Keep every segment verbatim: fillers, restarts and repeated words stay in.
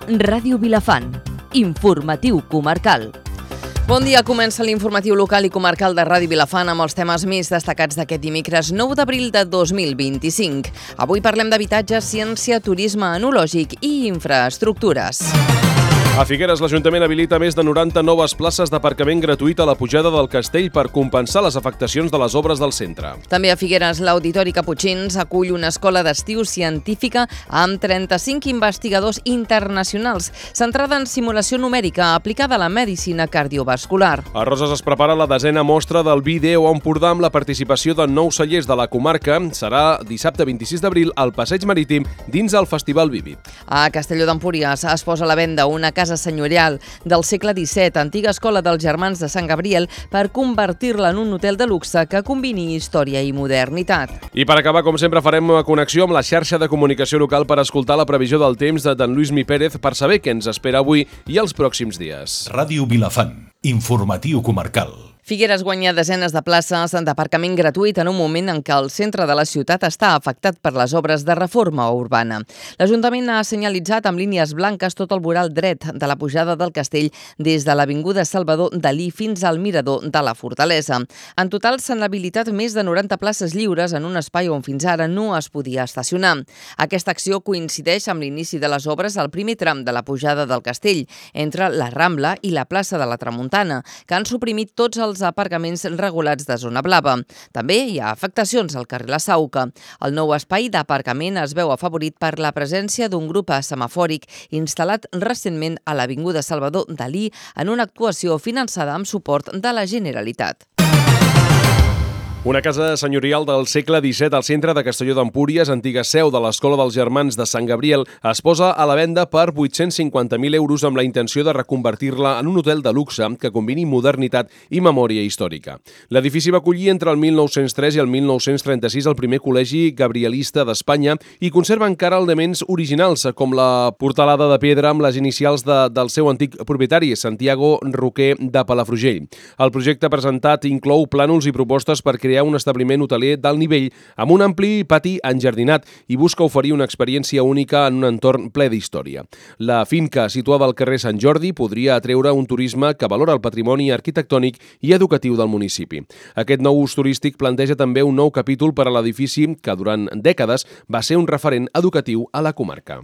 Ràdio Vilafant. Informatiu comarcal. Bon dia, comença l'informatiu local i comarcal de Ràdio Vilafant amb els temes més destacats d'aquest dimecres nou d'abril de dos mil vint-i-cinc. Avui parlem d'habitatge, ciència, turisme enològic i infraestructures. A Figueres, l'Ajuntament habilita més de noranta noves places d'aparcament gratuït a la pujada del Castell per compensar les afectacions de les obres del centre. També a Figueres, l'Auditori Caputxins acull una escola d'estiu científica amb trenta-cinc investigadors internacionals, centrada en simulació numèrica aplicada a la medicina cardiovascular. A Roses es prepara la desena mostra del Vídeo Empordà amb la participació de nou cellers de la comarca. Serà dissabte vint-i-sis d'abril al Passeig Marítim dins el Festival Vívid. A Castelló d'Empúries es posa a la venda una casa senyorial del segle disset, antiga escola dels Germans de Sant Gabriel, per convertir-la en un hotel de luxe que combini història i modernitat. I per acabar, com sempre, farem una connexió amb la xarxa de comunicació local per escoltar la previsió del temps de d'en Lluís Mi Pérez per saber què ens espera avui i els pròxims dies. Ràdio Vilafant, informatiu comarcal. Figueres guanya desenes de places d'aparcament gratuït en un moment en què el centre de la ciutat està afectat per les obres de reforma urbana. L'Ajuntament ha senyalitzat amb línies blanques tot el voral dret de la pujada del castell des de l'Avinguda Salvador Dalí fins al mirador de la Fortalesa. En total s'han habilitat més de noranta places lliures en un espai on fins ara no es podia estacionar. Aquesta acció coincideix amb l'inici de les obres al primer tram de la pujada del castell, entre la Rambla i la plaça de la Tramuntana, que han suprimit tots els aparcaments regulats de zona blava. També hi ha afectacions al carrer La Sauca. El nou espai d'aparcament es veu afavorit per la presència d'un grup semafòric instal·lat recentment a l'Avinguda Salvador Dalí en una actuació finançada amb suport de la Generalitat. Una casa senyorial del segle disset al centre de Castelló d'Empúries, antiga seu de l'Escola dels Germans de Sant Gabriel, es posa a la venda per vuit-cents cinquanta mil euros amb la intenció de reconvertir-la en un hotel de luxe que combini modernitat i memòria històrica. L'edifici va acollir entre el mil nou-cents tres i el mil nou-cents trenta-sis el primer col·legi gabrielista d'Espanya i conserva encara elements originals, com la portalada de pedra amb les inicials de, del seu antic propietari, Santiago Roquer de Palafrugell. El projecte presentat inclou plànols i propostes per crear un establiment hoteler d'alt nivell amb un ampli pati enjardinat i busca oferir una experiència única en un entorn ple d'història. La finca, situada al carrer Sant Jordi, podria atreure un turisme que valora el patrimoni arquitectònic i educatiu del municipi. Aquest nou ús turístic planteja també un nou capítol per a l'edifici que durant dècades va ser un referent educatiu a la comarca.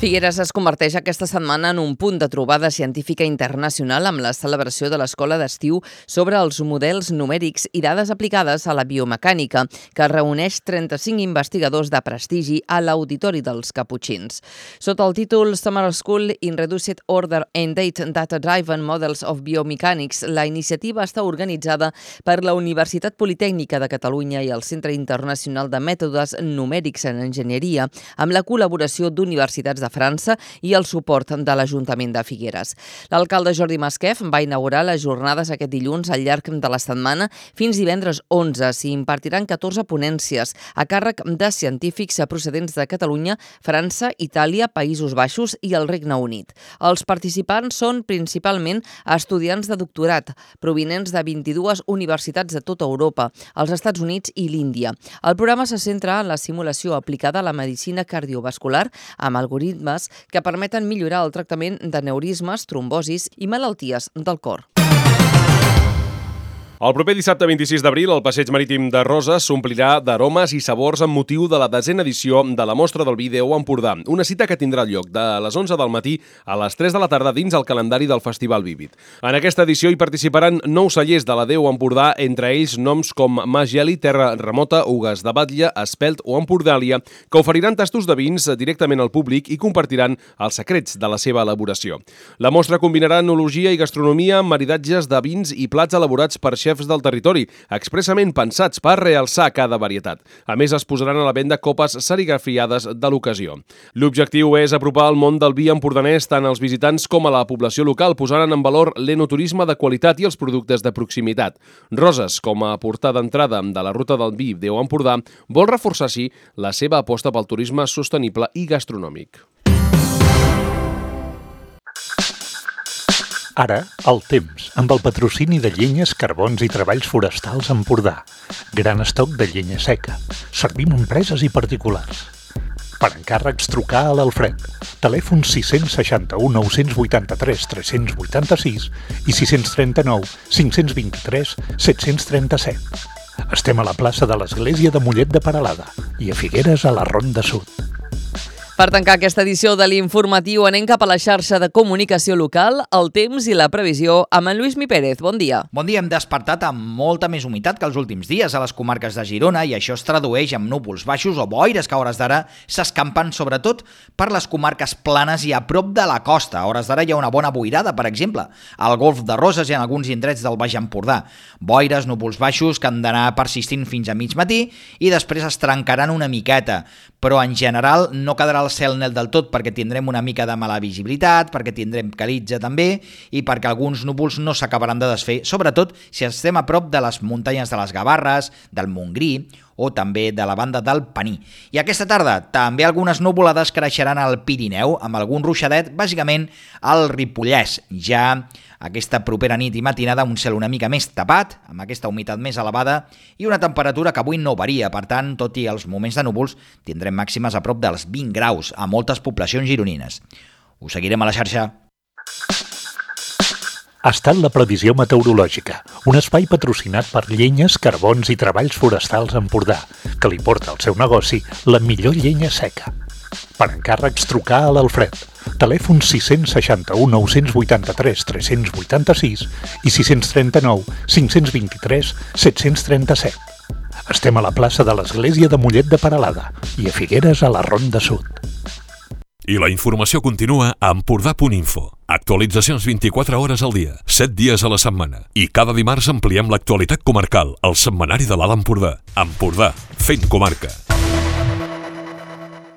Figueres es converteix aquesta setmana en un punt de trobada científica internacional amb la celebració de l'Escola d'Estiu sobre els models numèrics i dades aplicades a la biomecànica, que reuneix trenta-cinc investigadors de prestigi a l'Auditori dels Caputxins. Sota el títol Summer School in Reduced Order and Data-Driven Models of Biomechanics, la iniciativa està organitzada per la Universitat Politècnica de Catalunya i el Centre Internacional de Mètodes Numèrics en Enginyeria, amb la col·laboració d'universitats de França i el suport de l'Ajuntament de Figueres. L'alcalde Jordi Masquef va inaugurar les jornades aquest dilluns al llarg de la setmana. Fins divendres onze s'hi impartiran catorze ponències a càrrec de científics procedents de Catalunya, França, Itàlia, Països Baixos i el Regne Unit. Els participants són principalment estudiants de doctorat, provinents de vint-i-dues universitats de tota Europa, els Estats Units i l'Índia. El programa se centra en la simulació aplicada a la medicina cardiovascular amb algoritmes que permeten millorar el tractament d'aneurismes, trombosis i malalties del cor. El proper dissabte vint-i-sis d'abril, el Passeig Marítim de Roses s'omplirà d'aromes i sabors amb motiu de la desena edició de la Mostra del Vídeo Empordà, una cita que tindrà lloc de les onze del matí a les tres de la tarda dins el calendari del Festival Vívid. En aquesta edició hi participaran nou cellers de la Déu Empordà, entre ells noms com Mas Geli, Terra Remota, Ugues de Batlle, Espelt o Empordàlia, que oferiran tastos de vins directament al públic i compartiran els secrets de la seva elaboració. La mostra combinarà enologia i gastronomia amb maridatges de vins i plats elaborats per xefs xefs del territori, expressament pensats per realçar cada varietat. A més, es posaran a la venda copes serigrafiades de l'ocasió. L'objectiu és apropar el món del vi empordanès tant als visitants com a la població local, posant en valor l'enoturisme de qualitat i els productes de proximitat. Roses, com a portada d'entrada de la ruta del vi Déu Empordà, vol reforçar així la seva aposta pel turisme sostenible i gastronòmic. Ara, el temps, amb el patrocini de Llenyes, Carbons i Treballs Forestals Empordà. Gran estoc de llenya seca. Servim a empreses i particulars. Per encàrrecs, trucar a l'Alfred. Telèfon sis cents seixanta-u nou-cents vuitanta-tres tres-cents vuitanta-sis i sis cents trenta-nou cinc-cents vint-i-tres set-cents trenta-set. Estem a la plaça de l'Església de Mollet de Peralada i a Figueres a la Ronda Sud. Per tancar aquesta edició de l'Informatiu anem cap a la xarxa de comunicació local, el temps i la previsió amb en Lluís Mi Pérez. Bon dia. Bon dia. Hem despertat amb molta més humitat que els últims dies a les comarques de Girona i això es tradueix en núvols baixos o boires que a hores d'ara s'escampen sobretot per les comarques planes i a prop de la costa. A hores d'ara hi ha una bona boirada, per exemple, al Golf de Roses i en alguns indrets del Baix Empordà. Boires, núvols baixos que han d'anar persistint fins a mig matí i després es trencaran una miqueta, però en general no quedarà el cel net del tot perquè tindrem una mica de mala visibilitat, perquè tindrem calitja també i perquè alguns núvols no s'acabaran de desfer, sobretot si estem a prop de les muntanyes de les Gavarres, del Montgrí o també de la banda del Pení. I aquesta tarda també algunes nuvolades creixeran al Pirineu amb algun ruixadet, bàsicament al Ripollès. Ja aquesta propera nit i matinada un cel una mica més tapat, amb aquesta humitat més elevada i una temperatura que avui no varia. Per tant, tot i els moments de núvols, tindrem màximes a prop dels vint graus a moltes poblacions gironines. Us seguirem a la xarxa. Ha estat la previsió meteorològica, un espai patrocinat per Llenyes, Carbons i Treballs Forestals Empordà, que li porta al seu negoci la millor llenya seca. Per encàrrecs, trucar a l'Alfred. Telèfon sis cents seixanta-u nou-cents vuitanta-tres tres-cents vuitanta-sis i sis cents trenta-nou cinc-cents vint-i-tres set-cents trenta-set. Estem a la plaça de l'Església de Mollet de Peralada i a Figueres a la Ronda Sud. I la informació continua a empordà punt info. Actualitzacions vint-i-quatre hores al dia, set dies a la setmana. I cada dimarts ampliem l'actualitat comarcal al setmanari de l'Alt Empordà. Empordà, fent comarca.